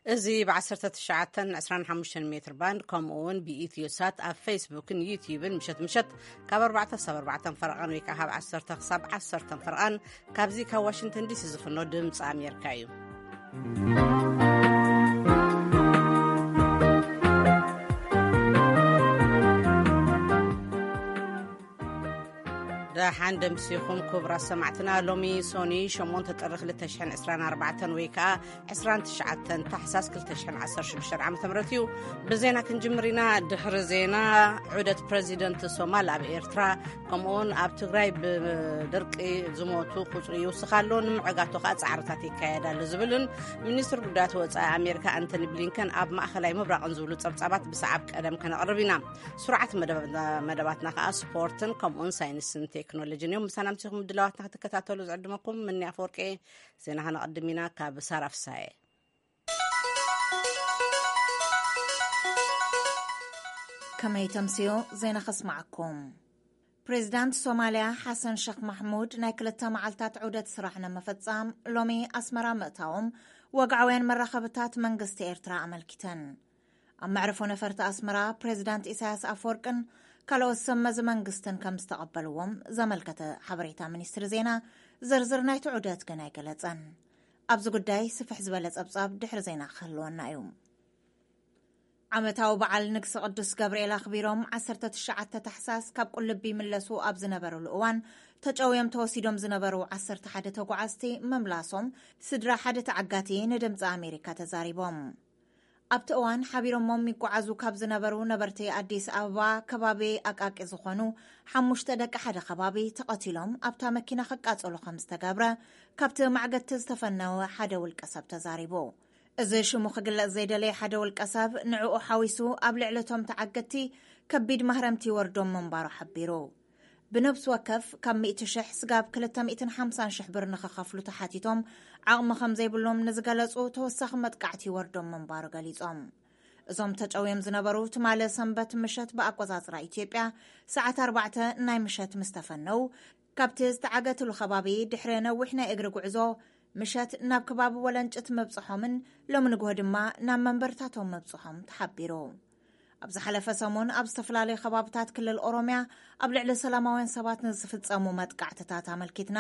እዚ ብ19 25 ሜትር ባንድ፣ ከምኡ እውን ብኢትዮ ሳት ኣብ ፌስቡክን ዩቲዩብን ምሸት ምሸት ካብ ኣርባዕተ ክሳብ ኣርባዕተ ፈረቓን ወይ ከዓ ካብ ዓሰርተ ክሳብ ዓሰርተ ፈረቓን ካብዚ ካብ ዋሽንግተን ዲሲ ዝፍኖ ድምፂ ኣሜሪካ እዩ። ደሓን ደምሲኹም ክቡራት ሰማዕትና። ሎሚ ሶኒ ሸሞንተ ጥሪ ክልተ ሽሕን ዕስራን ኣርባዕተን ወይ ከዓ ዕስራን ትሽዓተን ታሕሳስ ክልተ ሽሕን ዓሰርተ ሽዱሽተን ዓመተ ምህረት እዩ። ብዜና ክንጅምር ኢና። ድሕሪ ዜና፣ ዑደት ፕረዚደንት ሶማል ኣብ ኤርትራ፣ ከምኡውን ኣብ ትግራይ ብድርቂ ዝሞቱ ቁጽሪ ይውስኽ ኣሎ፣ ንምዕጋቱ ከዓ ጻዕርታት ይካየድ ኣሎ ዝብልን ሚኒስትር ጉዳያት ወጻኢ ኣሜሪካ ኣንቶኒ ብሊንከን ኣብ ማእኸላይ ምብራቕን ዝብሉ ጸብጻባት ብሰዓብ ቀደም ከነቕርብ ኢና። ስሩዓት መደብ-፣ መደባትና ከዓ ስፖርትን ከምኡውን ሳይንስን ቴክኖሎጂን እዮም። ምሳና ምሲኹም ድላዋትና ክትከታተሉ ዝዕድመኩም ምኒ ኣፈወርቂ። ዜና ከነቐድም ኢና ካብ ሳራ ፍሳየ። ከመይ ተምስዮ ዜና ከስማዓኩም። ፕሬዚዳንት ሶማልያ ሓሰን ሸኽ ማሕሙድ ናይ ክልተ መዓልታት ዑደት ስራሕ ንምፍጻም ሎሚ ኣስመራ ምእታዎም ወግዓውያን መራኸብታት መንግስቲ ኤርትራ ኣመልኪተን። ኣብ መዕርፎ ነፈርቲ ኣስመራ ፕሬዚዳንት ኢሳያስ ኣፈወርቅን ካልኦት ሰብ መዚ መንግስትን ከም ዝተቐበልዎም ዘመልከተ ሓበሬታ ሚኒስትሪ ዜና ዝርዝር ናይቲ ዑደት ግን ኣይገለጸን። ኣብዚ ጉዳይ ስፍሕ ዝበለ ጸብጻብ ድሕሪ ዜና ክህልወና እዩ። ዓመታዊ በዓል ንግሲ ቅዱስ ገብርኤል ኣኽቢሮም ዓሰርተ ትሽዓተ ታሕሳስ ካብ ቁልቢ ይምለሱ ኣብ ዝነበሩሉ እዋን ተጨውዮም ተወሲዶም ዝነበሩ ዓሰርተ ሓደ ተጓዓዝቲ ምምላሶም ስድራ ሓደ ተዓጋቲ ንድምፂ ኣሜሪካ ተዛሪቦም። ኣብቲ እዋን ሓቢሮሞም ይጓዓዙ ካብ ዝነበሩ ነበርቲ ኣዲስ ኣበባ ከባቢ ኣቃቂ ዝኾኑ ሓሙሽተ ደቂ ሓደ ከባቢ ተቐቲሎም ኣብታ መኪና ክቃጸሉ ከም ዝተገብረ ካብቲ ማዕገቲ ዝተፈነወ ሓደ ውልቀ ሰብ ተዛሪቡ። እዚ ሽሙ ክግለጽ ዘይደለየ ሓደ ውልቀ ሰብ ንዕኡ ሓዊሱ ኣብ ልዕሊ እቶም ተዓገቲ ከቢድ ማህረምቲ ይወርዶም ምንባሩ ሓቢሩ። ብነብሲ ወከፍ ካብ ሚእቲ ሽሕ ስጋብ ክልተ ሚእትን ሓምሳን ሽሕ ብር ንኽኸፍሉ ተሓቲቶም ዓቕሚ ከም ዘይብሎም ንዝገለጹ ተወሳኺ መጥቃዕቲ ይወርዶም ምንባሩ ገሊጾም። እዞም ተጨውዮም ዝነበሩ ትማሊ ሰንበት ምሸት ብኣቆጻጽራ ኢትዮጵያ ሰዓት ኣርባዕተ ናይ ምሸት ምስ ተፈነው ካብቲ ዝተዓገትሉ ከባቢ ድሕሪ ነዊሕ ናይ እግሪ ጉዕዞ ምሸት ናብ ከባቢ ወለንጭት ምብጽሖምን ሎሚ ንግሆ ድማ ናብ መንበርታቶም ምብጽሖም ተሓቢሩ። ኣብ ዝሓለፈ ሰሙን ኣብ ዝተፈላለዩ ከባብታት ክልል ኦሮምያ ኣብ ልዕሊ ሰላማውያን ሰባት ንዝፍጸሙ መጥቃዕትታት ኣመልኪትና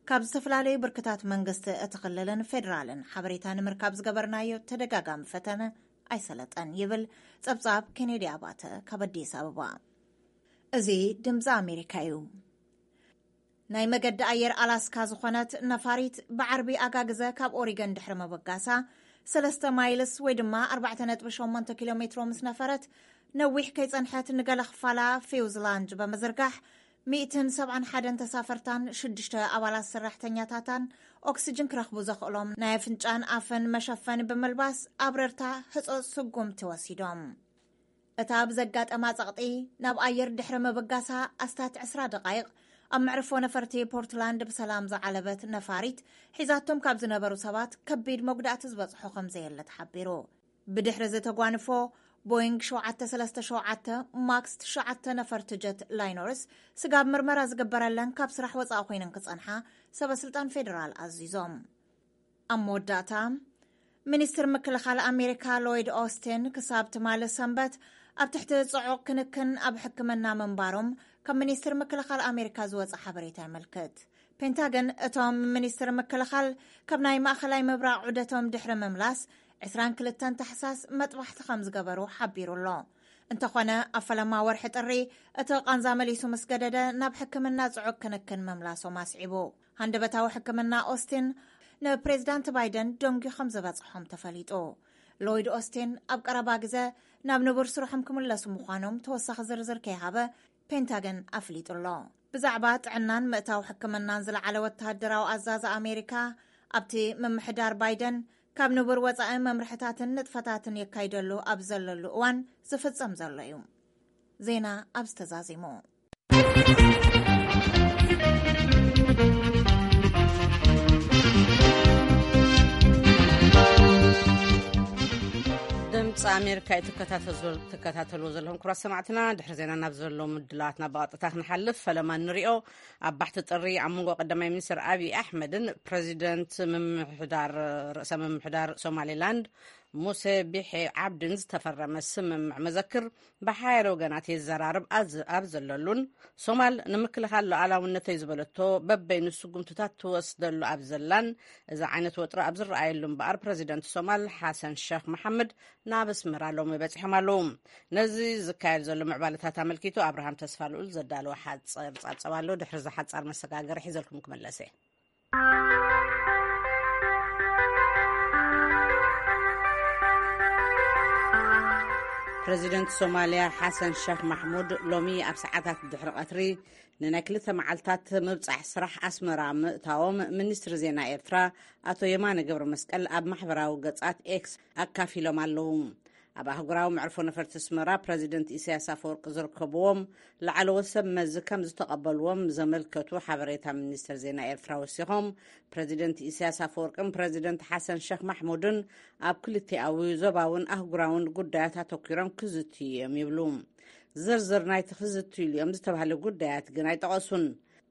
ካብ ዝተፈላለዩ ብርክታት መንግስቲ እቲ ክልልን ፌዴራልን ሓበሬታ ንምርካብ ዝገበርናዮ ተደጋጋሚ ፈተነ ኣይሰለጠን ይብል ጸብጻብ ኬኔዲ ኣባተ ካብ ኣዲስ ኣበባ። እዚ ድምፂ ኣሜሪካ እዩ። ናይ መገዲ ኣየር ኣላስካ ዝኾነት ነፋሪት ብዓርቢ ኣጋግዘ ካብ ኦሪገን ድሕሪ ምብጋሳ ሰለስተ ማይልስ ወይ ድማ ኣርባዕተ ነጥቢ ሸሞንተ ኪሎ ሜትሮ ምስ ነፈረት ነዊሕ ከይጸንሐት ንገለ ክፋላ ፊውዝላንጅ ብምዝርጋሕ ሚእትን ሰብዓን ሓደን ተሳፈርታን ሽዱሽተ ኣባላት ሰራሕተኛታታን ኦክስጅን ክረኽቡ ዘኽእሎም ናይ ኣፍንጫን ኣፍን መሸፈኒ ብምልባስ ኣብረርታ ህጾጽ ስጉምቲ ወሲዶም። እታ ብዘጋጠማ ጸቕጢ ናብ ኣየር ድሕሪ ምብጋሳ ኣስታት ዕስራ ደቓይቕ ኣብ መዕርፎ ነፈርቲ ፖርትላንድ ብሰላም ዝዓለበት ነፋሪት ሒዛቶም ካብ ዝነበሩ ሰባት ከቢድ መጉዳእቲ ዝበጽሖ ከም ዘየለ ተሓቢሩ። ብድሕሪ እዚ ተጓንፎ ቦይንግ ሸውዓተ ሰለስተ ሸውዓተ ማክስ ትሽዓተ ነፈርቲ ጀት ላይነርስ ስጋብ ምርመራ ዝግበረለን ካብ ስራሕ ወጻኢ ኮይነን ክጸንሓ ሰበ ስልጣን ፌዴራል ኣዚዞም። ኣብ መወዳእታ፣ ሚኒስትር ምክልኻል ኣሜሪካ ሎይድ ኦስቲን ክሳብ ትማሊ ሰንበት ኣብ ትሕቲ ጽዑቕ ክንክን ኣብ ሕክምና ምንባሮም ካብ ሚኒስትር ምክልኻል ኣሜሪካ ዝወጸ ሓበሬታ የመልክት። ፔንታገን እቶም ሚኒስትር ምክልኻል ካብ ናይ ማእኸላይ ምብራቕ ዑደቶም ድሕሪ ምምላስ ዕስራን ክልተን ታሕሳስ መጥባሕቲ ከም ዝገበሩ ሓቢሩ ኣሎ። እንተኾነ ኣብ ፈለማ ወርሒ ጥሪ እቲ ቃንዛ መሊሱ ምስ ገደደ ናብ ሕክምና ጽዑቕ ክንክን ምምላሶም ኣስዒቡ። ሃንደበታዊ ሕክምና ኦስቲን ንፕሬዚዳንት ባይደን ደንጉዩ ከም ዝበጽሖም ተፈሊጡ። ሎይድ ኦስቲን ኣብ ቀረባ ግዘ ናብ ንቡር ስርሖም ክምለሱ ምዃኖም ተወሳኺ ዝርዝር ከይሃበ ፔንታገን ኣፍሊጡ ኣሎ። ብዛዕባ ጥዕናን ምእታው ሕክምናን ዝለዓለ ወተሃደራዊ ኣዛዚ ኣሜሪካ ኣብቲ ምምሕዳር ባይደን ካብ ንቡር ወጻኢ መምርሕታትን ንጥፈታትን የካይደሉ ኣብ ዘለሉ እዋን ዝፍጸም ዘሎ እዩ። ዜና ኣብ ዝተዛዚሙ። ድምፂ ኣሜሪካ እዩ ትከታተል-፣ ትከታተልዎ ዘለኹም ክቡራት ሰማዕትና። ድሕሪ ዜና ናብ ዘሎ ምድላዋትና ብቐጥታ ክንሓልፍ፣ ፈለማ ንሪኦ። ኣብ ባሕቲ ጥሪ ኣብ መንጎ ቀዳማይ ሚኒስትር ኣብይ ኣሕመድን ፕረዚደንት ምምሕዳር፣ ርእሰ ምምሕዳር ሶማሌላንድ ሙሴ ቢሒ ዓብድን ዝተፈረመ ስምምዕ መዘክር ብሓያለ ወገናት የዘራርብ ኣዝ-፣ ኣብ ዘለሉን፣ ሶማል ንምክልኻል ሉዓላውነተይ ዝበለቶ በበይኑ ስጉምትታት ትወስደሉ ኣብ ዘላን፣ እዚ ዓይነት ወጥሪ ኣብ ዝረኣየሉ እምበኣር፣ ፕረዚደንት ሶማል ሓሰን ሸኽ መሓመድ ናብ ኣስመራ ሎሚ በጺሖም ኣለዉ። ነዚ ዝካየድ ዘሎ ምዕባለታት ኣመልኪቱ ኣብርሃም ተስፋ ልኡል ዘዳለወ ሓጸር ጸብጸብ ኣሎ። ድሕሪ እዚ ሓጻር መሰጋገሪ ሒዘልኩም ክምለስ እየ። ፕረዚደንት ሶማልያ ሓሰን ሸኽ ማሕሙድ ሎሚ ኣብ ሰዓታት ድሕሪ ቀትሪ ንናይ ክልተ መዓልታት ምብጻሕ ስራሕ ኣስመራ ምእታዎም ሚኒስትሪ ዜና ኤርትራ ኣቶ የማነ ገብረ መስቀል ኣብ ማሕበራዊ ገጻት ኤክስ ኣካፊሎም ኣለዉ። ኣብ ኣህጉራዊ መዕርፎ ነፈርቲ ኣስመራ ፕረዚደንት ኢሳያስ ኣፈወርቂ ዝርከብዎም ላዕለዎት ሰብ መዚ ከም ዝተቐበልዎም ዘመልከቱ ሓበሬታ ሚኒስትር ዜና ኤርትራ ወሲኾም፣ ፕረዚደንት ኢሳያስ ኣፈወርቅን ፕረዚደንት ሓሰን ሸኽ ማሕሙድን ኣብ ክልቲኣዊ ዞባውን ኣህጉራውን ጉዳያት ኣተኲሮም ክዝትዩ እዮም ይብሉ። ዝርዝር ናይቲ ክዝትዩሉ እዮም ዝተባህለ ጉዳያት ግን ኣይጠቐሱን።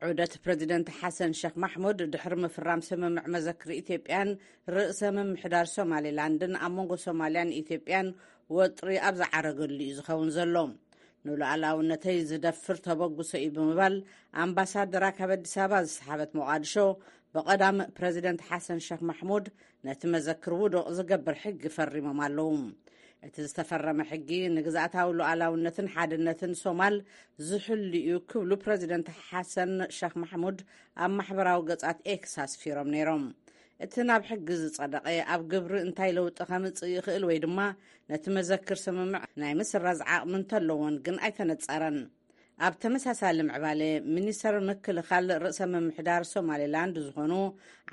ዑደት ፕረዚደንት ሓሰን ሸኽ ማሕሙድ ድሕሪ ምፍራም ስምምዕ መዘክር ኢትዮጵያን ርእሰ ምምሕዳር ሶማሌላንድን ኣብ መንጎ ሶማልያን ኢትዮጵያን ወጥሪ ኣብ ዝዓረገሉ እዩ ዝኸውን ዘሎ። ንሉዓላውነተይ ዝደፍር ተበግሶ እዩ ብምባል ኣምባሳደራ ካብ ኣዲስ ኣበባ ዝሰሓበት ሞቓድሾ ብቐዳም ፕረዚደንት ሓሰን ሸኽ ማሕሙድ ነቲ መዘክር ውዱቕ ዝገብር ሕጊ ፈሪሞም ኣለዉ። እቲ ዝተፈረመ ሕጊ ንግዝኣታዊ ሉዓላውነትን ሓድነትን ሶማል ዝሕሉ እዩ ክብሉ ፕረዚደንት ሓሰን ሸኽ ማሕሙድ ኣብ ማሕበራዊ ገጻት ኤክስ ኣስፊሮም ነይሮም። እቲ ናብ ሕጊ ዝጸደቐ ኣብ ግብሪ እንታይ ለውጢ ከምጽእ ይኽእል ወይ ድማ ነቲ መዘክር ስምምዕ ናይ ምስራዝ ዓቕሚ እንተለዎን ግን ኣይተነጸረን። ኣብ ተመሳሳሊ ምዕባለ፣ ሚኒስተር ምክልኻል ርእሰ ምምሕዳር ሶማሌላንድ ዝኾኑ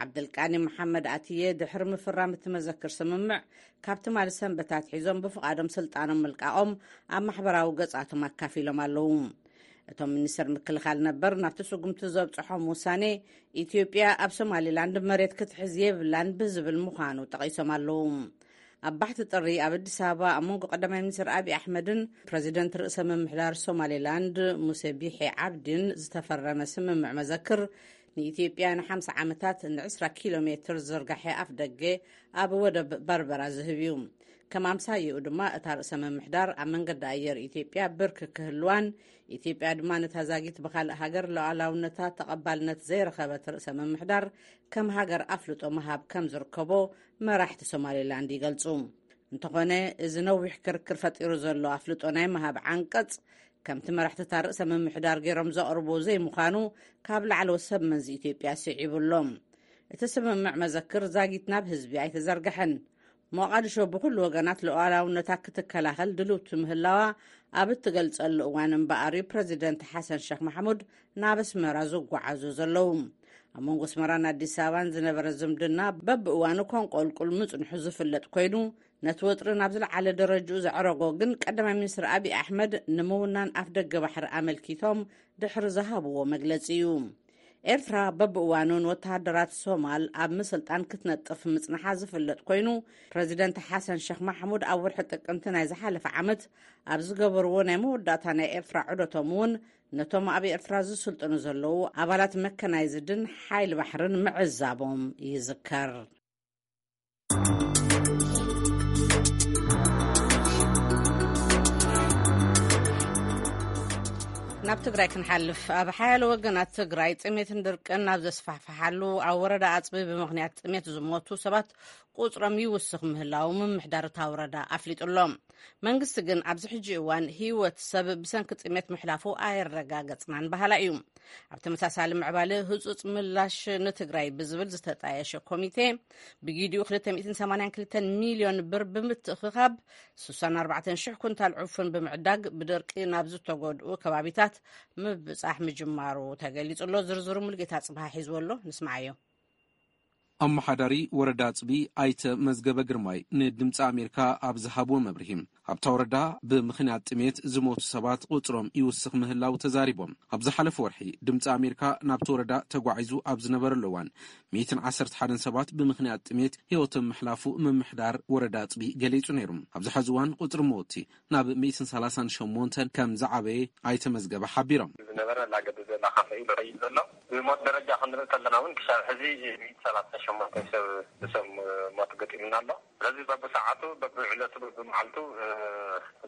ዓብደልቃኒ መሓመድ ኣትየ ድሕሪ ምፍራም እቲ መዘክር ስምምዕ ካብ ትማሊ ሰንበት ኣትሒዞም ብፍቓዶም ስልጣኖም ምልቃቖም ኣብ ማሕበራዊ ገጻቶም ኣካፊሎም ኣለዉ። እቶም ሚኒስተር ምክልኻል ነበር ናብቲ ስጉምቲ ዘብጽሖም ውሳኔ ኢትዮጵያ ኣብ ሶማሌላንድ መሬት ክትሕዝ የብላን ብዝብል ምዃኑ ጠቒሶም ኣለዉ። ኣብ ባሕቲ ጥሪ ኣብ ኣዲስ ኣበባ ኣብ መንጎ ቀዳማይ ሚኒስትር ኣብይ ኣሕመድን ፕረዚደንት ርእሰ ምምሕዳር ሶማሌላንድ ሙሴ ቢሒ ዓብዲን ዝተፈረመ ስምምዕ መዘክር ንኢትዮጵያ ንሓምሳ ዓመታት ንዕስራ ኪሎ ሜትር ዝርጋሐ ኣፍ ደገ ኣብ ወደብ በርበራ ዝህብ እዩ። ከም ኣምሳይኡ ድማ እታ ርእሰ ምምሕዳር ኣብ መንገዲ ኣየር ኢትዮጵያ ብርክ ክህልዋን ኢትዮጵያ ድማ ነታ ዛጊት ብኻልእ ሃገር ሉዓላውነታ ተቐባልነት ዘይረኸበት ርእሰ ምምሕዳር ከም ሃገር ኣፍልጦ ምሃብ ከም ዝርከቦ መራሕቲ ሶማሌላንድ ይገልጹ። እንተኾነ፣ እዚ ነዊሕ ክርክር ፈጢሩ ዘሎ ኣፍልጦ ናይ ምሃብ ዓንቀጽ፣ ከምቲ መራሕቲ እታ ርእሰ ምምሕዳር ገይሮም ዘቕርብዎ ዘይምዃኑ ካብ ላዕለዎት ሰብ መንዚ ኢትዮጵያ ስዒቡ ኣሎ። እቲ ስምምዕ መዘክር ዛጊት ናብ ህዝቢ ኣይተዘርግሐን። ሞቓድሾ ብኹሉ ወገናት ሉዓላውነታ ክትከላኸል ድልውቲ ምህላዋ ኣብ እትገልጸሉ እዋን እምበኣር እዩ ፕረዚደንት ሓሰን ሸኽ ማሕሙድ ናብ ኣስመራ ዝጓዓዙ ዘለዉ። ኣብ መንጎ ኣስመራን ኣዲስ ኣበባን ዝነበረ ዝምድና በብእዋኑ ከንቆልቁል ምጽንሑ ዝፍለጥ ኮይኑ፣ ነቲ ወጥሪ ናብ ዝለዓለ ደረጅኡ ዘዕረጎ ግን ቀዳማይ ሚኒስትር ኣብይ ኣሕመድ ንምውናን ኣፍ ደገ ባሕሪ ኣመልኪቶም ድሕሪ ዝሃብዎ መግለጺ እዩ። ኤርትራ በብእዋኑ ንወተሃደራት ሶማል ኣብ ምስልጣን ክትነጥፍ ምጽንሓ ዝፍለጥ ኮይኑ፣ ፕረዚደንት ሓሰን ሸኽ ማሕሙድ ኣብ ወርሒ ጥቅምቲ ናይ ዝሓለፈ ዓመት ኣብ ዝገበርዎ ናይ መወዳእታ ናይ ኤርትራ ዑደቶም እውን ነቶም ኣብ ኤርትራ ዝስልጥኑ ዘለዉ ኣባላት መከናይዝድን ሓይሊ ባሕርን ምዕዛቦም ይዝከር። ናብ ትግራይ ክንሓልፍ፣ ኣብ ሓያሎ ወገናት ትግራይ ጥሜትን ድርቅን ናብ ዘስፋሕፍሓሉ፣ ኣብ ወረዳ ኣፅቢ ብምኽንያት ጥሜት ዝሞቱ ሰባት ቁፅሮም ይውስኽ ምህላው ምምሕዳር እታ ወረዳ ኣፍሊጡ ኣሎ። መንግስቲ ግን ኣብዚ ሕጂ እዋን ህይወት ሰብ ብሰንኪ ጥሜት ምሕላፉ ኣየረጋገፅናን በሃላ እዩ። ኣብ ተመሳሳሊ ምዕባለ ህጹጽ ምላሽ ንትግራይ ብዝብል ዝተጣየሸ ኮሚቴ ብጊዲኡ ክልተ ሚእትን ሰማንያን ክልተን ሚልዮን ብር ብምትእኽኻብ ስሳን ኣርባዕተን ሽሕ ኩንታል ዕፉን ብምዕዳግ ብደርቂ ናብ ዝተጎድኡ ከባቢታት ምብጻሕ ምጅማሩ ተገሊጹ ኣሎ። ዝርዝሩ ሙሉጌታ ጽብሃ ሒዝዎ ኣሎ። ንስማዓዮ። ኣመሓዳሪ ወረዳ ኣፅቢ ኣይተ መዝገበ ግርማይ ንድምፂ ኣሜሪካ ኣብ ዝሃብዎ መብርሂ፣ ኣብታ ወረዳ ብምኽንያት ጥሜት ዝሞቱ ሰባት ቁፅሮም ይውስኽ ምህላው ተዛሪቦም። ኣብ ዝሓለፈ ወርሒ ድምፂ ኣሜሪካ ናብቲ ወረዳ ተጓዒዙ ኣብ ዝነበረሉ እዋን፣ ሚእትን ዓሰርተ ሓደን ሰባት ብምኽንያት ጥሜት ህይወቶም ምሕላፉ ምምሕዳር ወረዳ ኣፅቢ ገሊጹ ነይሩ። ኣብዚ ሐዚ እዋን ቁፅሪ መወቲ ናብ ሚእትን ሰላሳን ሸሞንተን ከም ዝዓበየ ኣይተ መዝገበ ሓቢሮም። ዝነበረ እናገደደ እናኸፍአ እዩ ዝኸይድ ዘሎ። ብሞት ደረጃ ክንርኢ ከለና እውን ክሳብ ሕዚ ሚእቲ ሰላሳ ሺሕ ሞት ሰብ ብሰብ ሞት ገጢምና ኣሎ። ስለዚ በብሰዓቱ በብዕለቱ በብመዓልቱ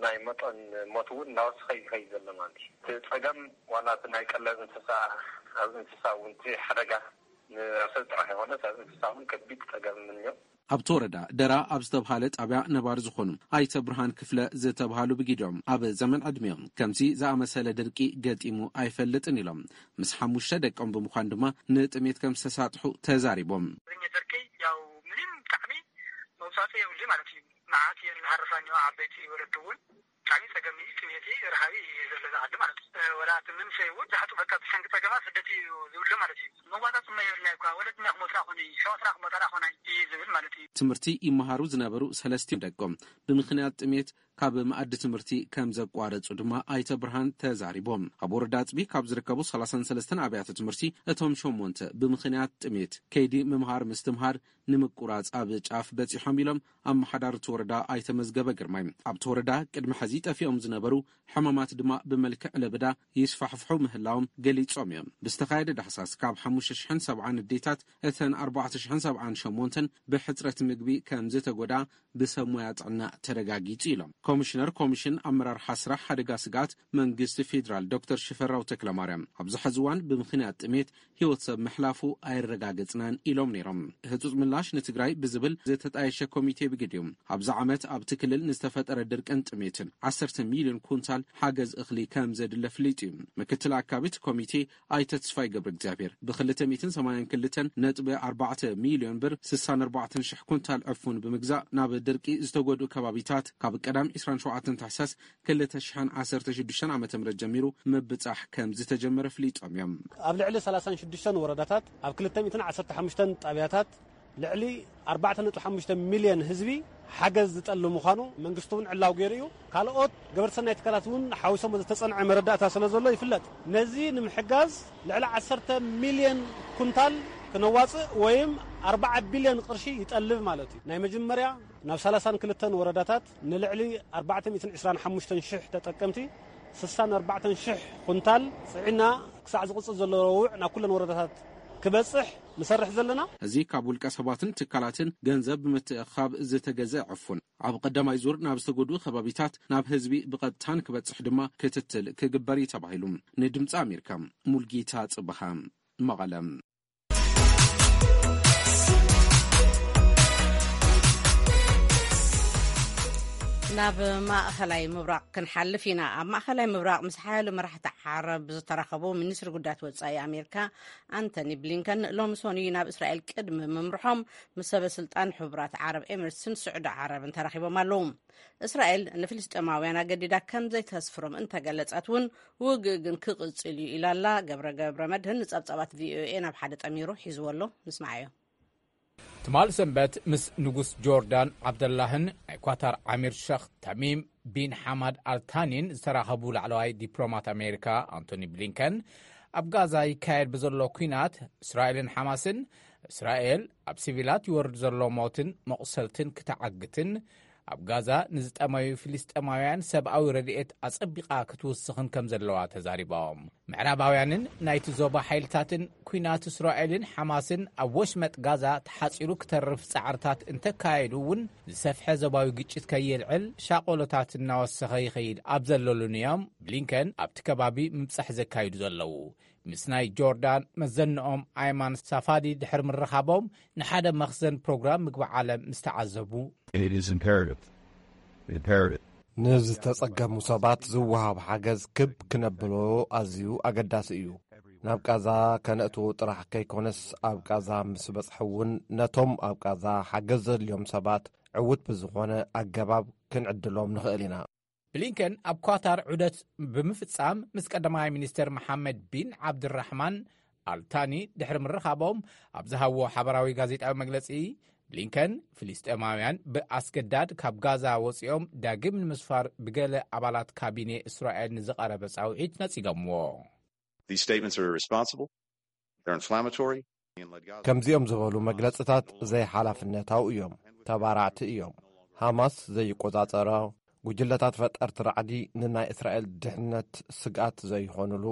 ናይ መጠን ሞት እውን እናወሰኸ ይኸይድ ዘሎ ማለት እዩ። እቲ ፀገም ዋላ እቲ ናይ ቀለብ እንስሳ፣ ኣብ እንስሳ እውን እቲ ሓደጋ ንሰብ ጥራሕ ይኾነስ ኣብ እንስሳ እውን ከቢድ ፀገም እኒኦ። ኣብቲ ወረዳ ደራ ኣብ ዝተብሃለ ጣብያ ነባሪ ዝኾኑ ኣይተ ብርሃን ክፍለ ዝተብሃሉ ብጊዲኦም ኣብ ዘመን ዕድሜኦም ከምዚ ዝኣመሰለ ድርቂ ገጢሙ ኣይፈልጥን ኢሎም። ምስ ሓሙሽተ ደቆም ብምዃን ድማ ንጥሜት ከም ዝተሳጥሑ ተዛሪቦም። ድርቂ ያው ምንም ጣዕሚ መውፃእፂ የብሉ ማለት እዩ። መዓት እየን ዝሃርፋ እኒኦ ዓበይቲ ወለዲ እውን ጣዕሚ ፀገም እዩ። ጥሜት ረሃቢ ዘሎ ዝዓዲ ማለት እዩ። ወላ እቲ መንሰይ እውን ዛሕቱ በቃ ብሰንኪ ፀገማ ስደት እዩ ዝብሎ ማለት እዩ። መዋፃፅማ የብልና እኳ ወለድና ክሞትና ኮነ ሸዋትና ክሞታና ኮነ እዩ ዝብል ማለት እዩ። ትምህርቲ ይመሃሩ ዝነበሩ ሰለስቲኦም ደቆም ብምኽንያት ጥሜት ካብ መኣዲ ትምህርቲ ከም ዘቋረጹ ድማ ኣይተ ብርሃን ተዛሪቦም። ኣብ ወረዳ ኣጽቢ ካብ ዝርከቡ ሰላሳን ሰለስተን ኣብያተ ትምህርቲ እቶም ሸሞንተ ብምኽንያት ጥሜት ከይዲ ምምሃር ምስትምሃር ንምቁራጽ ኣብ ጫፍ በጺሖም ኢሎም ኣመሓዳሪ እቲ ወረዳ ኣይተ መዝገበ ግርማይ። ኣብቲ ወረዳ ቅድሚ ሕዚ ጠፊኦም ዝነበሩ ሕማማት ድማ ብመልክዕ ለበዳ ይስፋሕፍሑ ምህላዎም ገሊጾም እዮም። ብዝተኻየደ ዳህሳስ ካብ ሓሙሽተ ሽሕን ሰብዓን ኣዴታት እተን ኣርባዕተ ሽሕን ሰብዓን ሸሞንተን ብሕጽረት ምግቢ ከም ዝተጎዳ ብሰብ ሞያ ጥዕና ተረጋጊጹ ኢሎም። ኮሚሽነር ኮሚሽን ኣመራርሓ ስራሕ ሓደጋ ስግኣት መንግስቲ ፌዴራል ዶክተር ሽፈራው ተክለማርያም ኣብዚ ሕዚ እዋን ብምኽንያት ጥሜት ህይወት ሰብ ምሕላፉ ኣይረጋገጽናን ኢሎም ነይሮም። ህጹጽ ምላሽ ንትግራይ ብዝብል ዝተጣየሸ ኮሚቴ ብግዲኡ ኣብዚ ዓመት ኣብቲ ክልል ንዝተፈጠረ ድርቅን ጥሜትን ዓሰርተ ሚልዮን ኩንታል ሓገዝ እኽሊ ከም ዘድለ ፍሊጡ እዩ። ምክትል ኣካቢ እቲ ኮሚቴ ኣይተ ተስፋይ ገብረ እግዚኣብሔር ብክልተ ሚእትን ሰማንያን ክልተን ነጥቢ ኣርባዕተ ሚልዮን ብር ስሳን ኣርባዕተን ሽሕ ኩንታል ዕፉን ብምግዛእ ናብ ድርቂ ዝተጎድኡ ከባቢታት ካብ ቀዳም ዕስራን ሸውዓተን ታሕሳስ ክልተ ሽሕን ዓሰርተ ሽዱሽተን ዓመተ ምህረት ጀሚሩ ምብጻሕ ከም ዝተጀመረ ፍሊጦም እዮም። ኣብ ልዕሊ ሰላሳን ሽዱሽተን ወረዳታት ኣብ ክልተ ሚእትን ዓሰርተ ሓሙሽተን ጣብያታት ልዕሊ ኣርባዕተ ነጥቢ ሓሙሽተ ሚልዮን ህዝቢ ሓገዝ ዝጠልብ ምዃኑ መንግስቲ እውን ዕላው ገይሩ እዩ። ካልኦት ገበርቲ ሰናይ ትካላት እውን ሓዊሶም ዝተጸንዐ መረዳእታ ስለ ዘሎ ይፍለጥ። ነዚ ንምሕጋዝ ልዕሊ ዓሰርተ ሚልዮን ኩንታል ክነዋጽእ ወይም ኣርባዓ ቢልዮን ቅርሺ ይጠልብ ማለት እዩ። ናይ መጀመርያ ናብ ሰላሳን ክልተን ወረዳታት ንልዕሊ ኣርባዕተ ሚእትን ዕስራን ሓሙሽተን ሽሕ ተጠቀምቲ ስሳን ኣርባዕተን ሽሕ ኩንታል ጽዒና ክሳዕ ዝቕጽል ዘሎ ረቡዕ ናብ ኩለን ወረዳታት ክበጽሕ ንሰርሕ ዘለና። እዚ ካብ ውልቀ ሰባትን ትካላትን ገንዘብ ብምትእኻብ ዝተገዘ ዕፉን ኣብ ቀዳማይ ዙር ናብ ዝተጎድኡ ከባቢታት ናብ ህዝቢ ብቐጥታ ንክበጽሕ ድማ ክትትል ክግበር እዩ ተባሂሉ። ንድምፂ ኣሜሪካ ሙልጌታ ጽብሃ መቐለ። ናብ ማእኸላይ ምብራቕ ክንሓልፍ ኢና። ኣብ ማእኸላይ ምብራቕ ምስ ሓያሎ መራሕቲ ዓረብ ዝተራኸቡ ሚኒስትሪ ጉዳያት ወጻኢ ኣሜሪካ ኣንቶኒ ብሊንከን ሎሚ ሰኑይ ናብ እስራኤል ቅድሚ ምምርሖም ምስ ሰበ ስልጣን ሕቡራት ዓረብ ኤምሬትስን ስዑዲ ዓረብን ተራኺቦም ኣለዉ። እስራኤል ንፍልስጤማውያን ኣገዲዳ ከም ዘይተስፍሮም እንተገለጸት እውን ውግእ ግን ክቕጽል እዩ ኢላ ኣላ። ገብረ ገብረ መድህን ንጸብጻባት ቪኦኤ ናብ ሓደ ጠሚሩ ሒዝዎ ኣሎ። ንስማዓዮ። ትማል ሰንበት ምስ ንጉስ ጆርዳን ዓብደላህን ናይ ኳታር ዓሚር ሸኽ ተሚም ቢን ሓማድ ኣልታኒን ዝተራኸቡ ላዕለዋይ ዲፕሎማት ኣሜሪካ ኣንቶኒ ብሊንከን፣ ኣብ ጋዛ ይካየድ ብዘሎ ኲናት እስራኤልን ሓማስን፣ እስራኤል ኣብ ሲቪላት ይወርድ ዘሎ ሞትን መቑሰልትን ክትዓግትን፣ ኣብ ጋዛ ንዝጠመዩ ፍልስጤማውያን ሰብኣዊ ረድኤት ኣጸቢቓ ክትውስኽን ከም ዘለዋ ተዛሪቦም። ምዕራባውያንን ናይቲ ዞባ ሓይልታትን ኲናት እስራኤልን ሓማስን ኣብ ወሽመጥ ጋዛ ተሓጺሩ ክተርፍ ጻዕርታት እንተካየዱ እውን፣ ዝሰፍሐ ዞባዊ ግጭት ከየልዕል ሻቖሎታት እናወሰኸ ይኸይድ ኣብ ዘለሉን እዮም ብሊንከን ኣብቲ ከባቢ ምብጻሕ ዘካይዱ ዘለዉ። ምስ ናይ ጆርዳን መዘንኦም ኣይማን ሳፋዲ ድሕሪ ምርኻቦም፣ ንሓደ መኽዘን ፕሮግራም ምግቢ ዓለም ምስ ተዓዘቡ፣ It is imperative. Imperative. ንዝተጸገሙ ሰባት ዝወሃብ ሓገዝ ክብ ክነብሎ ኣዝዩ ኣገዳሲ እዩ። ናብ ቃዛ ከነእትዎ ጥራሕ ከይኮነስ፣ ኣብ ቃዛ ምስ በጽሐ እውን ነቶም ኣብ ቃዛ ሓገዝ ዘድልዮም ሰባት ዕዉት ብዝኾነ ኣገባብ ክንዕድሎም ንኽእል ኢና። ብሊንከን ኣብ ኳታር ዑደት ብምፍጻም ምስ ቀዳማይ ሚኒስተር መሓመድ ቢን ዓብድራሕማን ኣልታኒ ድሕሪ ምርኻቦም ኣብ ዝሃብዎ ሓበራዊ ጋዜጣዊ መግለጺ፣ ብሊንከን ፍልስጤማውያን ብኣስገዳድ ካብ ጋዛ ወጺኦም ዳግም ንምስፋር ብገለ ኣባላት ካቢኔ እስራኤል ንዝቐረበ ጻውዒት ነጺጎምዎ። These statements are irresponsible. They're inflammatory. ከምዚኦም ዝበሉ መግለጽታት ዘይሓላፍነታዊ እዮም፣ ተባራዕቲ እዮም። ሃማስ ዘይቆጻጸሮ፣ ጉጅለታት ፈጠርቲ ራዕዲ ንናይ እስራኤል ድሕነት ስግኣት ዘይኾኑሉ፣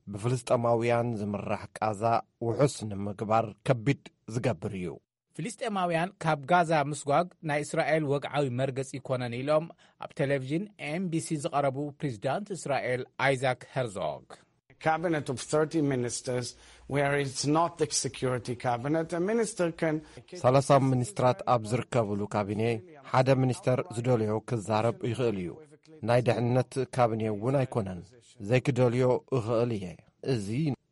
ብፍልስጤማውያን ዝምራሕ ቃዛ ውሑስ ንምግባር ከቢድ ዝገብር እዩ። ፍልስጤማውያን ካብ ጋዛ ምስጓግ ናይ እስራኤል ወግዓዊ መርገጺ ይኮነን ኢሎም ኣብ ቴሌቪዥን ኤምቢሲ ዝቐረቡ ፕሬዚዳንት እስራኤል ኣይዛክ ሄርዞግ። Cabinet of thirty ministers, where it's not the security cabinet, a minister can ሰላሳ ሚኒስትራት ኣብ ዝርከብሉ ካቢኔ ሓደ ሚኒስተር ዝደልዮ ክዛረብ ይኽእል እዩ። ናይ ድሕነት ካቢኔ እውን ኣይኮነን። ዘይክደልዮ እኽእል እየ። እዚ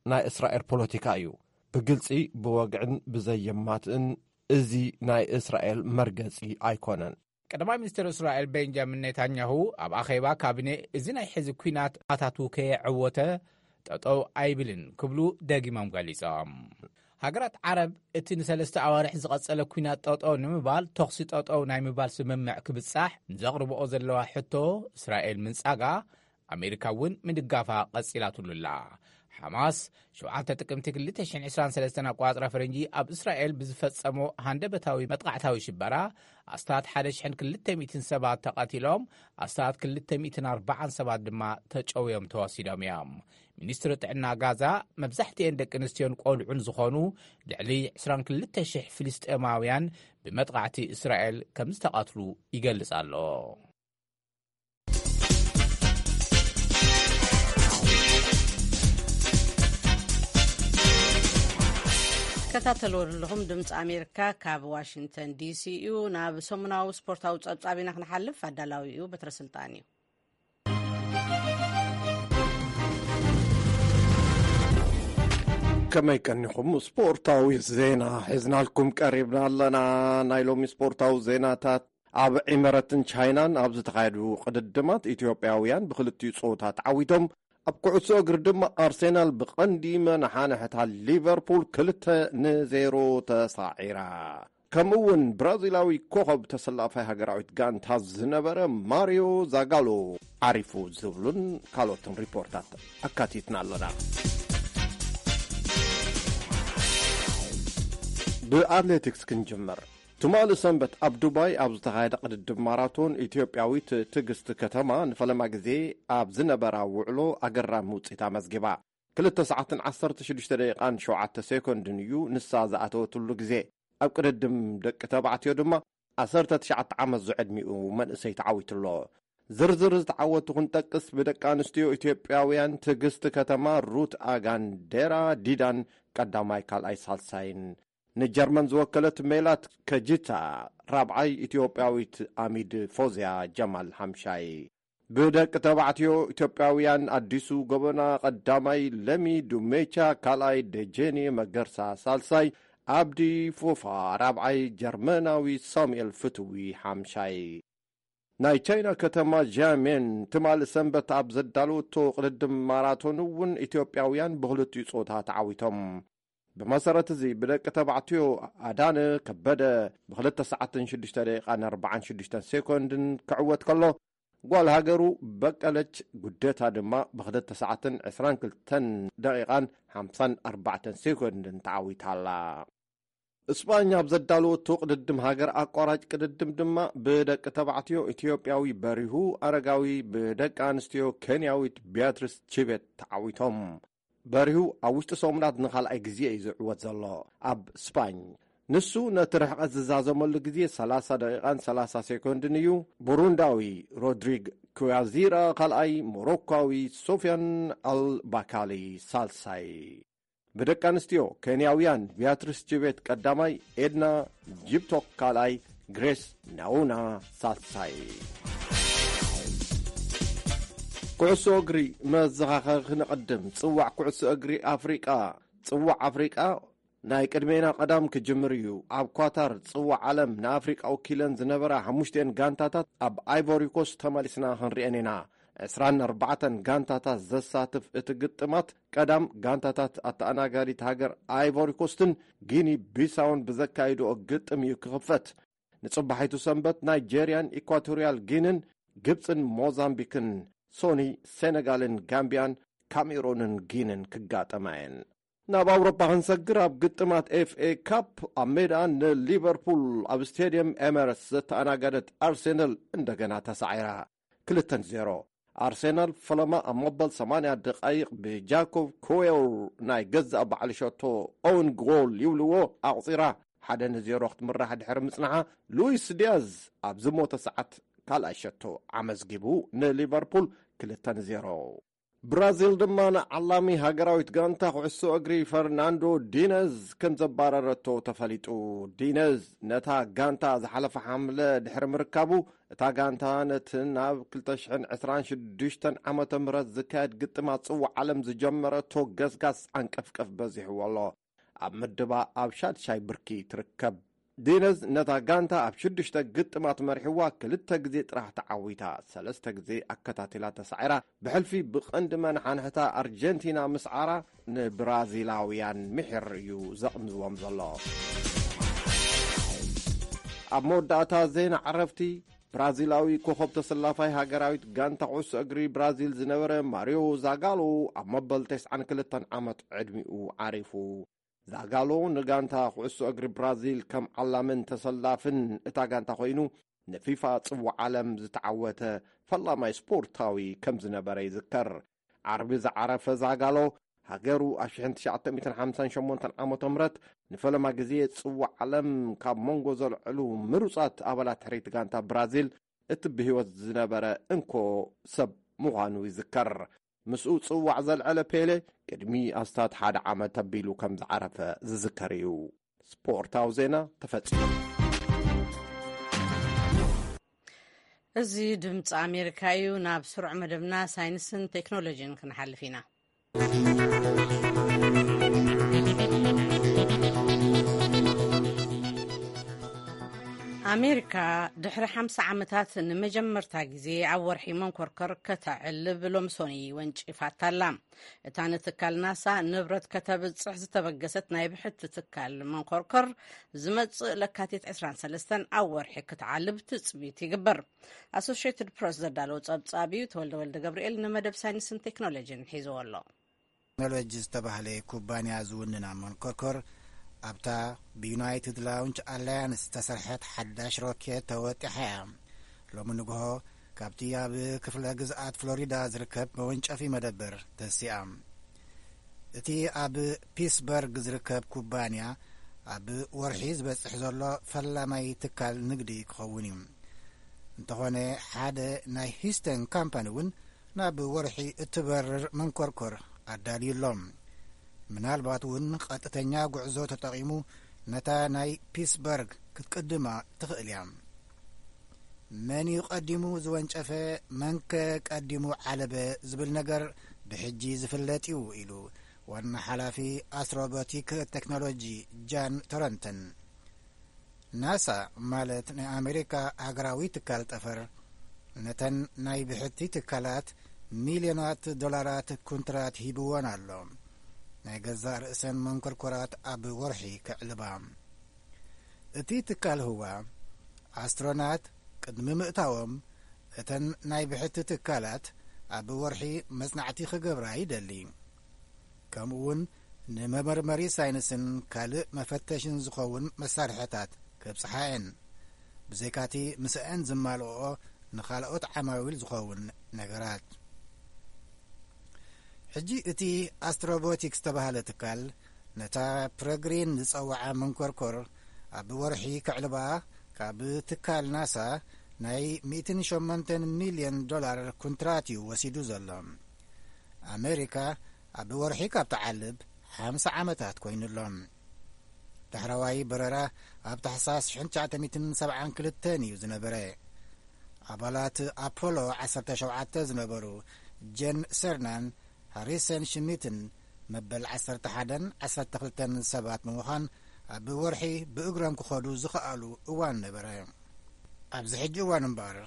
ናይ እስራኤል ፖለቲካ እዩ። ብግልጺ፣ ብወግዕን ብዘየማትእን፣ እዚ ናይ እስራኤል መርገጺ ኣይኮነን። ቀዳማይ ሚኒስትር እስራኤል ቤንጃሚን ኔታንያሁ ኣብ ኣኼባ ካቢኔ፣ እዚ ናይ ሕዚ ኲናት ኣታቱ ከየዐወተ ጠጠው ኣይብልን ክብሉ ደጊሞም ገሊጾም። ሃገራት ዓረብ እቲ ንሰለስተ ኣዋርሕ ዝቐጸለ ኲናት ጠጠው ንምባል ተኹሲ ጠጠው ናይ ምባል ስምምዕ ክብጻሕ ንዘቕርብኦ ዘለዋ ሕቶ እስራኤል ምንጻጋ፣ ኣሜሪካ እውን ምድጋፋ ቀጺላትሉ ኣላ። ሓማስ ሸውዓተ ጥቅምቲ ክልተ ሽሕን ዕስራን ሰለስተን ኣቆጻጽራ ፈረንጂ ኣብ እስራኤል ብዝፈጸሞ ሃንደበታዊ መጥቃዕታዊ ሽበራ ኣስታት ሓደ ሽሕን ክልተ ሚእትን ሰባት ተቐቲሎም፣ ኣስታት ክልተ ሚእትን ኣርባዓን ሰባት ድማ ተጨውዮም ተወሲዶም እዮም። ሚኒስትሪ ጥዕና ጋዛ፣ መብዛሕትኤን ደቂ ኣንስትዮን ቆልዑን ዝኾኑ ልዕሊ ዕስራን ክልተ ሽሕ ፍልስጤማውያን ብመጥቃዕቲ እስራኤል ከም ዝተቐትሉ ይገልጽ ኣሎ። ከታተልዎ ዘለኹም ድምፂ ኣሜሪካ ካብ ዋሽንግተን ዲሲ እዩ። ናብ ሰሙናዊ ስፖርታዊ ፀብፃብ ኢና ክንሓልፍ። ኣዳላዊ እዩ በትረ ስልጣን እዩ። ከመይ ቀኒኹም? ስፖርታዊ ዜና ሒዝናልኩም ቀሪብና ኣለና። ናይ ሎሚ ስፖርታዊ ዜናታት። ኣብ ዒመረትን ቻይናን ኣብ ዝተኻየዱ ቅድድማት ኢትዮጵያውያን ብክልቲኡ ጾታ ተዓዊቶም። ኣብ ኩዕሶ እግሪ ድማ ኣርሴናል ብቐንዲ መናሓንሕታ ሊቨርፑል ክልተ ንዜሮ ተሳዒራ። ከምኡ እውን ብራዚላዊ ኮኸብ ተሰላፋይ ሃገራዊት ጋንታ ዝነበረ ማሪዮ ዛጋሎ ዓሪፉ ዝብሉን ካልኦትን ሪፖርታት ኣካቲትና ኣለና። ብኣትሌቲክስ ክንጅምር። ትማሊ ሰንበት ኣብ ዱባይ ኣብ ዝተኻየደ ቅድድም ማራቶን፣ ኢትዮጵያዊት ትዕግስቲ ከተማ ንፈለማ ግዜ ኣብ ዝነበራ ውዕሎ ኣገራሚ ውፅኢት ኣመዝጊባ። ክልተ ሰዓትን ዓሰርተ ሽዱሽተ ደቂቓን ሸውዓተ ሴኮንድን እዩ ንሳ ዝኣተወትሉ ግዜ። ኣብ ቅድድም ደቂ ተባዕትዮ ድማ ዓሰርተ ትሽዓተ ዓመት ዝዕድሚኡ መንእሰይ ተዓዊትሎ። ዝርዝር ዝተዓወቱ ክንጠቅስ፣ ብደቂ ኣንስትዮ ኢትዮጵያውያን ትዕግስቲ ከተማ፣ ሩት ኣጋን፣ ዴራ ዲዳን ቀዳማይ፣ ካልኣይ፣ ሳልሳይን፣ ንጀርመን ዝወከለት ሜላት ከጂታ ራብዓይ፣ ኢትዮጵያዊት ኣሚድ ፎዝያ ጀማል ሓምሻይ። ብደቂ ተባዕትዮ ኢትዮጵያውያን ኣዲሱ ጎበና ቀዳማይ፣ ለሚ ዱሜቻ ካልኣይ፣ ደጀኔ መገርሳ ሳልሳይ፣ ኣብዲ ፎፋ ራብዓይ፣ ጀርመናዊ ሳሙኤል ፍትዊ ሓምሻይ። ናይ ቻይና ከተማ ጃሜን ትማሊ ሰንበት ኣብ ዘዳለወቶ ቅድድም ማራቶን እውን ኢትዮጵያውያን ብክልቲኡ ጾታ ተዓዊቶም። ብመሰረት እዚ ብደቂ ተባዕትዮ ኣዳነ ከበደ ብክልተ ሰዓትን ሽዱሽተ ደቂቓን ኣርባዓን ሽዱሽተን ሴኮንድን ክዕወት ከሎ፣ ጓል ሃገሩ በቀለች ጉደታ ድማ ብክልተ ሰዓትን ዕስራን ክልተን ደቂቓን ሓምሳን ኣርባዕተን ሴኮንድን ተዓዊታ ኣላ። እስጳኛ ኣብ ዘዳለወቶ ቅድድም ሃገር ኣቋራጭ ቅድድም ድማ ብደቂ ተባዕትዮ ኢትዮጵያዊ በሪሁ ኣረጋዊ ብደቂ ኣንስትዮ ኬንያዊት ቢያትሪስ ቺቤት ተዓዊቶም። በሪሁ ኣብ ውሽጢ ሰሙናት ንኻልኣይ ግዜ እዩ ዝዕወት ዘሎ ኣብ ስፓኝ። ንሱ ነቲ ርሕቐት ዝዛዘመሉ ግዜ ሰላሳ ደቂቓን ሰላሳ ሴኮንድን እዩ። ቡሩንዳዊ ሮድሪግ ኩያዚራ ካልኣይ፣ ሞሮኳዊ ሶፊያን ኣልባካሊ ሳልሳይ። ብደቂ ኣንስትዮ ኬንያውያን ቢያትሪስ ቺቤት ቀዳማይ፣ ኤድና ጂፕቶክ ካልኣይ፣ ግሬስ ናውና ሳልሳይ። ኩዕሶ እግሪ መዘኻኸሪ ክንቕድም። ጽዋዕ ኩዕሶ እግሪ ኣፍሪቃ። ጽዋዕ ኣፍሪቃ ናይ ቅድሜና ቀዳም ክጅምር እዩ። ኣብ ኳታር ጽዋዕ ዓለም ንኣፍሪቃ ወኪለን ዝነበራ ሓሙሽተን ጋንታታት ኣብ ኣይቮሪ ኮስት ተመሊስና ክንሪአን ኢና። ዕስራን ኣርባዕተን ጋንታታት ዘሳትፍ እቲ ግጥማት፣ ቀዳም ጋንታታት ኣተኣናጋዲት ሃገር ኣይቮሪ ኮስትን ጊኒ ቢሳውን ብዘካይድኦ ግጥም እዩ ክኽፈት። ንጽባሒቱ ሰንበት ናይጄርያን ኢኳቶሪያል ጊንን፣ ግብጽን ሞዛምቢክን፣ ሶኒ ሴነጋልን ጋምቢያን፣ ካሜሮንን ጊንን ክጋጠማ እየን። ናብ ኣውሮፓ ክንሰግር፣ ኣብ ግጥማት ኤፍኤ ካፕ ኣብ ሜዳ ንሊቨርፑል ኣብ ስቴድየም ኤመረትስ ዘተኣናገደት ኣርሴናል እንደገና ተሳዒራ። ክልተ ንዜሮ። ኣርሴናል ፈለማ ኣብ መበል ሰማንያ ደቓይቕ ብጃኮብ ኮዌር ናይ ገዛእ ባዕሉ ሸቶ ኦውን ጎል ይብልዎ ኣቑጺራ ሓደ ንዜሮ ክትምራሕ ድሕሪ ምጽንሓ፣ ሉዊስ ዲያዝ ኣብ ዝሞተ ሰዓት ካልኣይ ሸቶ ኣመዝጊቡ ንሊቨርፑል ክልተ ንዜሮ። ብራዚል ድማ ንዓላሚ ሃገራዊት ጋንታ ኩዕሶ እግሪ ፈርናንዶ ዲነዝ ከም ዘባረረቶ ተፈሊጡ። ዲነዝ ነታ ጋንታ ዝሓለፈ ሓምለ ድሕሪ ምርካቡ፣ እታ ጋንታ ነቲ ናብ ክልተ ሽሕን ዕስራን ሽዱሽተን ዓመተ ምህረት ዝካየድ ግጥማት ጽዋዕ ዓለም ዝጀመረቶ ገስጋስ ዓንቀፍቀፍ በዚሕዎ ኣሎ። ኣብ ምድባ ኣብ ሻድሻይ ብርኪ ትርከብ። ዲነዝ ነታ ጋንታ ኣብ ሽዱሽተ ግጥማት መሪሕዋ ክልተ ግዜ ጥራሕ ተዓዊታ፣ ሰለስተ ግዜ ኣከታቲላ ተሳዒራ፣ ብሕልፊ ብቐንዲ መናሓንሕታ ኣርጀንቲና ምስዓራ ንብራዚላውያን ምሒር እዩ ዘቕንዝዎም ዘሎ። ኣብ መወዳእታ ዜና ዕረፍቲ፣ ብራዚላዊ ኮኸብ ተሰላፋይ ሃገራዊት ጋንታ ኩዕሶ እግሪ ብራዚል ዝነበረ ማሪዮ ዛጋሎ ኣብ መበል ተስዓን ክልተን ዓመት ዕድሚኡ ዓሪፉ። ዛጋሎ ንጋንታ ኩዕሶ እግሪ ብራዚል ከም ዓላምን ተሰላፍን እታ ጋንታ ኮይኑ፣ ንፊፋ ጽዋዕ ዓለም ዝተዓወተ ፈላማይ ስፖርታዊ ከም ዝነበረ ይዝከር። ዓርቢ ዝዓረፈ ዛጋሎ፣ ሃገሩ ኣብ ሽሕን ትሽዓተ ሚእትን ሓምሳን ሸሞንተን ዓመተ ምህረት ንፈለማ ግዜ ጽዋዕ ዓለም ካብ መንጎ ዘልዕሉ ምሩጻት ኣባላት ሕርይቲ ጋንታ ብራዚል እቲ ብህይወት ዝነበረ እንኮ ሰብ ምዃኑ ይዝከር። ምስኡ ጽዋዕ ዘልዐለ ፔሌ ቅድሚ ኣስታት ሓደ ዓመት ኣቢሉ ከም ዝዓረፈ ዝዝከር እዩ። ስፖርታዊ ዜና ተፈጺሙ። እዚ ድምፂ ኣሜሪካ እዩ። ናብ ስሩዕ መደብና ሳይንስን ቴክኖሎጂን ክንሓልፍ ኢና። ኣሜሪካ ድሕሪ ሓምሳ ዓመታት ንመጀመርታ ግዜ ኣብ ወርሒ መንኮርከር ከተዕልብ ሎምሶኒ ወንጪፋታ ኣላ። እታ ንትካል ናሳ ንብረት ከተብጽሕ ዝተበገሰት ናይ ብሕቲ ትካል መንኮርከር ዝመጽእ ለካቲት ዕስራን ሰለስተን ኣብ ወርሒ ክትዓልብ ትጽቢት ይግበር። ኣሶሽየትድ ፕረስ ዘዳለዎ ጸብጻብ እዩ። ተወልደ ወልደ ገብርኤል ንመደብ ሳይንስን ቴክኖሎጂን ሒዝዎ ኣሎ። ቴክኖሎጂ ዝተባህለ ኩባንያ ዝውንና መንኮርኮር ኣብታ ብዩናይትድ ላውንች ኣላያንስ ዝተሰርሐት ሓዳሽ ሮኬት ተወጢሓ እያ። ሎሚ ንግሆ ካብቲ ኣብ ክፍለ ግዝኣት ፍሎሪዳ ዝርከብ መወንጨፊ መደበር ተሲኣ። እቲ ኣብ ፒስበርግ ዝርከብ ኩባንያ ኣብ ወርሒ ዝበጽሕ ዘሎ ፈላማይ ትካል ንግዲ ክኸውን እዩ። እንተኾነ ሓደ ናይ ሂስተን ካምፓኒ እውን ናብ ወርሒ እትበርር መንኮርኮር ኣዳልዩ ኣሎ። ምናልባት እውን ቀጥተኛ ጉዕዞ ተጠቒሙ ነታ ናይ ፒስበርግ ክትቅድማ ትኽእል እያ። መን እዩ ቀዲሙ ዝወንጨፈ፣ መንከ ቀዲሙ ዓለበ ዝብል ነገር ብሕጂ ዝፍለጥ እዩ ኢሉ ዋና ሓላፊ ኣስትሮቦቲክ ቴክኖሎጂ ጃን ቶረንተን። ናሳ ማለት ናይ ኣሜሪካ ሃገራዊ ትካል ጠፈር ነተን ናይ ብሕቲ ትካላት ሚልዮናት ዶላራት ኩንትራት ሂብወን ኣሎ። ናይ ገዛእ ርእሰን መንኮርኮራት ኣብ ወርሒ ከዕልባ። እቲ ትካል ህዋ ኣስትሮናት ቅድሚ ምእታዎም እተን ናይ ብሕቲ ትካላት ኣብ ወርሒ መጽናዕቲ ክገብራ ይደሊ። ከምኡውን ንመመርመሪ ሳይንስን ካልእ መፈተሽን ዝኸውን መሳርሕታት ከብጽሓ እየን። ብዘይካቲ ምስአን ዝማልኦ ንኻልኦት ዓማዊል ዝኸውን ነገራት። ሕጂ እቲ ኣስትሮቦቲክስ ዝተባህለ ትካል ነታ ፕረግሪን ዝጸውዓ መንኮርኮር ኣብ ወርሒ ከዕልባ ካብ ትካል ናሳ ናይ ሚእትን ሸሞንተን ሚልዮን ዶላር ኩንትራት እዩ ወሲዱ ዘሎ። ኣሜሪካ ኣብ ወርሒ ካብ ትዓልብ ሓምሳ ዓመታት ኮይኑ ኣሎ። ዳሕረዋይ በረራ ኣብ ታሕሳስ ሽሕን ትሽዓተ ሚእትን ሰብዓን ክልተን እዩ ዝነበረ። ኣባላት ኣፖሎ ዓሰርተ ሸውዓተ ዝነበሩ ጄን ሰርናን ሃሪሰን ሽሚትን መበል ዓሰርተ ሓደን ዓሰርተ ክልተን ሰባት ብምዃን ኣብ ወርሒ ብእግሮም ክኸዱ ዝኸኣሉ እዋን ነበረ። ኣብዚ ሕጂ እዋን እምበኣር፣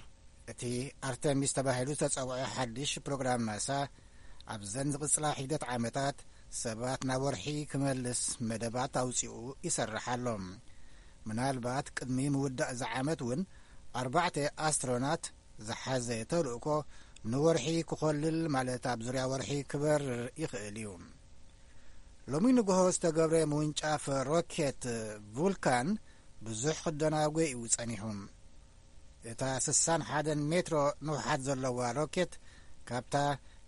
እቲ ኣርተሚስ ተባሂሉ ዝተጸውዐ ሓድሽ ፕሮግራም ናሳ ኣብዘን ዝቕጽላ ሒደት ዓመታት ሰባት ናብ ወርሒ ክመልስ መደባት ኣውጺኡ ይሰርሕ ኣሎ። ምናልባት ቅድሚ ምውዳእ እዚ ዓመት እውን ኣርባዕተ ኣስትሮናት ዝሓዘ ተልእኮ ንወርሒ ክኾልል፣ ማለት ኣብ ዙርያ ወርሒ ክበርር ይኽእል እዩ። ሎሚ ንግሆ ዝተገብረ ምውንጫፍ ሮኬት ቡልካን ብዙሕ ክደናጎ እዩ ጸኒሑ። እታ ስሳን ሓደን ሜትሮ ንውሓት ዘለዋ ሮኬት ካብታ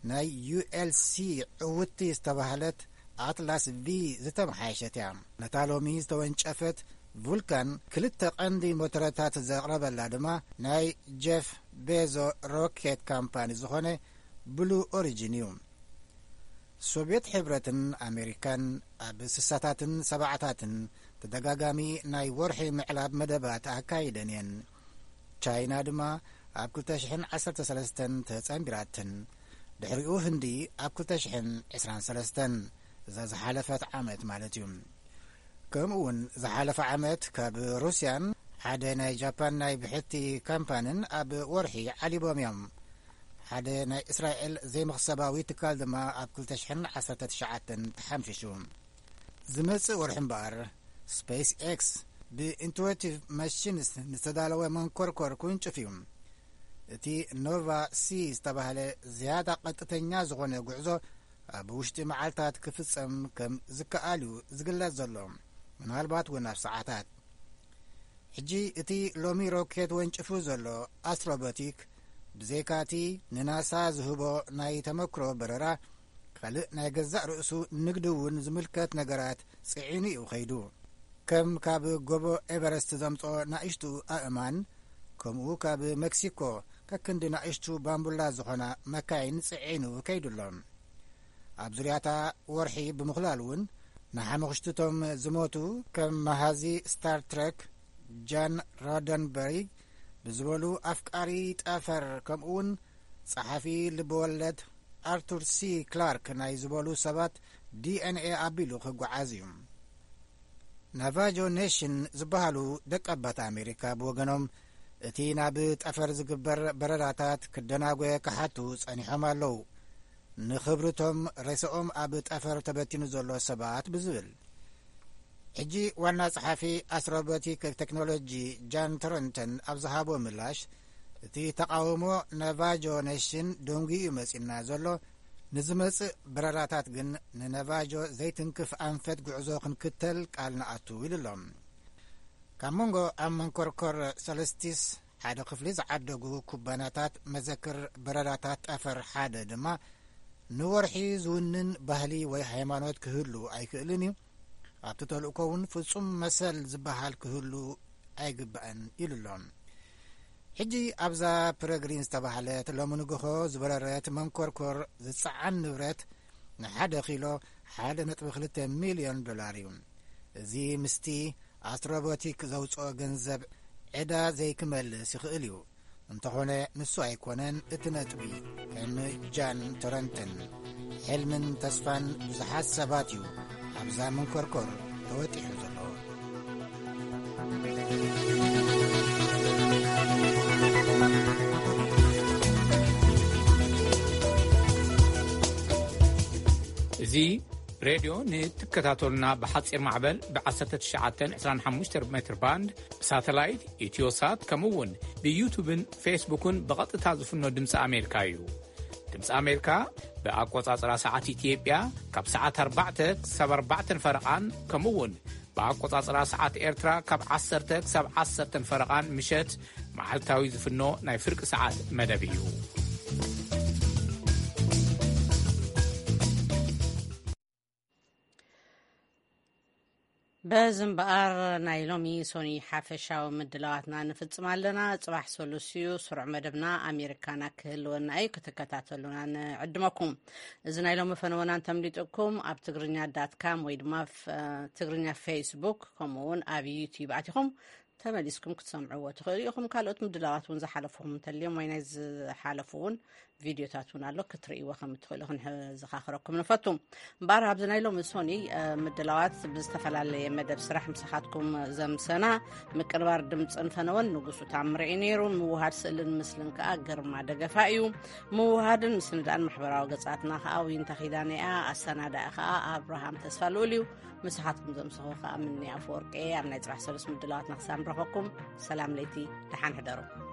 ናይ ዩ ኤል ሲ ዕውቲ ዝተባህለት ኣትላስ ቪ ዝተመሓየሸት እያ። ነታ ሎሚ ዝተወንጨፈት ቡልካን ክልተ ቀንዲ ሞተረታት ዘቕረበላ ድማ ናይ ጀፍ ቤዞ ሮኬት ካምፓኒ ዝኾነ ብሉ ኦሪጂን እዩ። ሶቪየት ሕብረትን ኣሜሪካን ኣብ ስሳታትን ሰባዕታትን ተደጋጋሚ ናይ ወርሒ ምዕላብ መደባት ኣካይደን እየን። ቻይና ድማ ኣብ ክልተ ሽሕን ዓሰርተ ሰለስተን ተጸንቢራትን፣ ድሕሪኡ ህንዲ ኣብ ክልተ ሽሕን ዕስራን ሰለስተን፣ እዛ ዝሓለፈት ዓመት ማለት እዩ። ከምኡ እውን ዝሓለፈ ዓመት ካብ ሩስያን ሓደ ናይ ጃፓን ናይ ብሕቲ ካምፓንን ኣብ ወርሒ ዓሊቦም እዮም። ሓደ ናይ እስራኤል ዘይመኽሰባዊ ትካል ድማ ኣብ ክልተ ሽሕን ዓሰርተ ትሽዓተን ተሓምሺሹ። ዝመጽእ ወርሒ እምበኣር፣ ስፔስ ኤክስ ብኢንቱዌቲቭ ማሽንስ ንዝተዳለወ መንኮርኮር ክውንጭፍ እዩ። እቲ ኖቫ ሲ ዝተባህለ ዝያዳ ቀጥተኛ ዝኾነ ጉዕዞ ኣብ ውሽጢ መዓልታት ክፍጸም ከም ዝከኣል እዩ ዝግለጽ ዘሎ፣ ምናልባት እውን ኣብ ሰዓታት። ሕጂ እቲ ሎሚ ሮኬት ወንጭፉ ዘሎ ኣስትሮቦቲክ፣ ብዘይካቲ ንናሳ ዝህቦ ናይ ተመክሮ በረራ፣ ካልእ ናይ ገዛእ ርእሱ ንግዲ እውን ዝምልከት ነገራት ጽዒኑ እዩ ከይዱ። ከም ካብ ጎቦ ኤቨረስት ዘምጽኦ ናእሽቱ ኣእማን፣ ከምኡ ካብ ሜክሲኮ ከክንዲ ናእሽቱ ባምቡላ ዝኾና መካይን ጽዒኑ ከይዱ ኣሎ። ኣብ ዙርያታ ወርሒ ብምኽላል እውን ንሓሙኽሽትቶም ዝሞቱ ከም መሃዚ ስታር ትረክ ጃን ሮደንበሪ ብዝበሉ ኣፍቃሪ ጠፈር፣ ከምኡ እውን ጸሓፊ ልብወለድ ኣርቱር ሲ ክላርክ ናይ ዝበሉ ሰባት ዲ ኤን ኤ ኣቢሉ ክጓዓዝ እዩ። ናቫጆ ኔሽን ዝበሃሉ ደቀባት ኣሜሪካ ብወገኖም፣ እቲ ናብ ጠፈር ዝግበር በረራታት ክደናጎየ ክሓቱ ጸኒሖም ኣለዉ። ንኽብርቶም ሬሳኦም ኣብ ጠፈር ተበቲኑ ዘሎ ሰባት ብዝብል። ሕጂ ዋና ጸሓፊ ኣስትሮቦቲክ ቴክኖሎጂ ጃን ቶረንተን ኣብ ዝሃቦ ምላሽ፣ እቲ ተቓውሞ ናቫጆ ኔሽን ደንጉዩ መጺና ዘሎ፣ ንዝመጽእ በረራታት ግን ንናቫጆ ዘይትንክፍ ኣንፈት ጉዕዞ ክንክተል ቃል ንኣቱ ኢሉ ኣሎ። ካብ መንጎ ኣብ መንኮርኮር ሰለስቲስ ሓደ ክፍሊ ዝዓደጉ ኩባንያታት መዘክር በረራታት ጠፈር ሓደ ድማ፣ ንወርሒ ዝውንን ባህሊ ወይ ሃይማኖት ክህሉ ኣይክእልን እዩ። ኣብቲ ተልእኮ እውን ፍጹም መሰል ዝበሃል ክህሉ ኣይግባእን ኢሉ ኣሎ። ሕጂ ኣብዛ ፕረግሪን ዝተባህለት ሎሚ ንግሆ ዝበረረት መንኮርኮር ዝጸዓን ንብረት ንሓደ ኪሎ ሓደ ነጥቢ ክልተ ሚልዮን ዶላር እዩ። እዚ ምስቲ ኣስትሮቦቲክ ዘውጽኦ ገንዘብ ዕዳ ዘይክመልስ ይኽእል እዩ። እንተኾነ ንሱ ኣይኮነን እቲ ነጥቢ። ከም ጃን ቶረንተን፣ ሕልምን ተስፋን ብዙሓት ሰባት እዩ ኣብዛ መንኮርኮር ተወጢሑ ዘሎ። እዚ ሬድዮ ንትከታተሉና ብሓጺር ማዕበል ብ ዓሰርተ ትሽዓተ ዕስራን ሓሙሽተ ሜትር ባንድ፣ ብሳተላይት፣ ኢትዮሳት፣ ከምኡ እውን ብዩቱብን ፌስቡክን ብቐጥታ ዝፍኖ ድምፂ ኣሜሪካ እዩ። ድምፂ ኣሜሪካ ብኣቆጻጽራ ሰዓት ኢትዮጵያ ካብ ሰዓት ኣርባዕተ ክሳብ ኣርባዕተን ፈረቓን፣ ከምኡ እውን ብኣቆጻጽራ ሰዓት ኤርትራ ካብ ዓሰርተ ክሳብ ዓሰርተን ፈረቓን ምሸት መዓልታዊ ዝፍኖ ናይ ፍርቂ ሰዓት መደብ እዩ። በዚ እምበኣር ናይ ሎሚ ሶኒ ሓፈሻዊ ምድላዋትና ንፍጽም ኣለና። ጽባሕ ሰሉስ እዩ፣ ስሩዕ መደብና ኣሜሪካና ክህልወና እዩ። ክትከታተሉና ንዕድመኩም። እዚ ናይ ሎሚ ፈነወና እንተምሊጥኩም ኣብ ትግርኛ ዳት ካም ወይ ድማ ፍ-፣ ትግርኛ ፌስቡክ ከምኡ እውን ኣብ ዩቲዩብ ኣቲኹም ተመሊስኩም ክትሰምዕዎ ትኽእሉ ኢኹም። ካልኦት ምድላዋት እውን ዝሓለፉኹም እንተልዮም ወይ ናይ ዝሓለፉ እውን ቪድዮታት እውን ኣሎ፣ ክትርእይዎ ከም እትኽእሉ ክንዘኻኽረኩም ንፈቱ። እምበኣር ኣብዚ ናይ ሎሚ ሶኒ፣ እ፣ ምድላዋት ብዝተፈላለየ መደብ ስራሕ ምሳኻትኩም ዘምሰና ምቅንባር ድምፅን ፈነወን ንጉሱ ታምረ እዩ ነይሩ። ምውሃድ ስእልን ምስልን ከኣ ግርማ ደገፋ እዩ። ምውሃድን ምስንዳእን ማሕበራዊ ገጻትና ከኣ ዊንታ ኪዳነ እያ። ኣሰናዳኢ ከኣ ኣብርሃም ተስፋ ልኡል እዩ። ምሳኻትኩም ዘምሰኹ ከኣ ምንያ ኣፈወርቂ እየ። ኣብ ናይ ጽባሕ ሰሉስ ምድላዋትና ክሳብ ንረኸብኩም ሰላም ለይቲ፣ ደሓን ሕደሩ።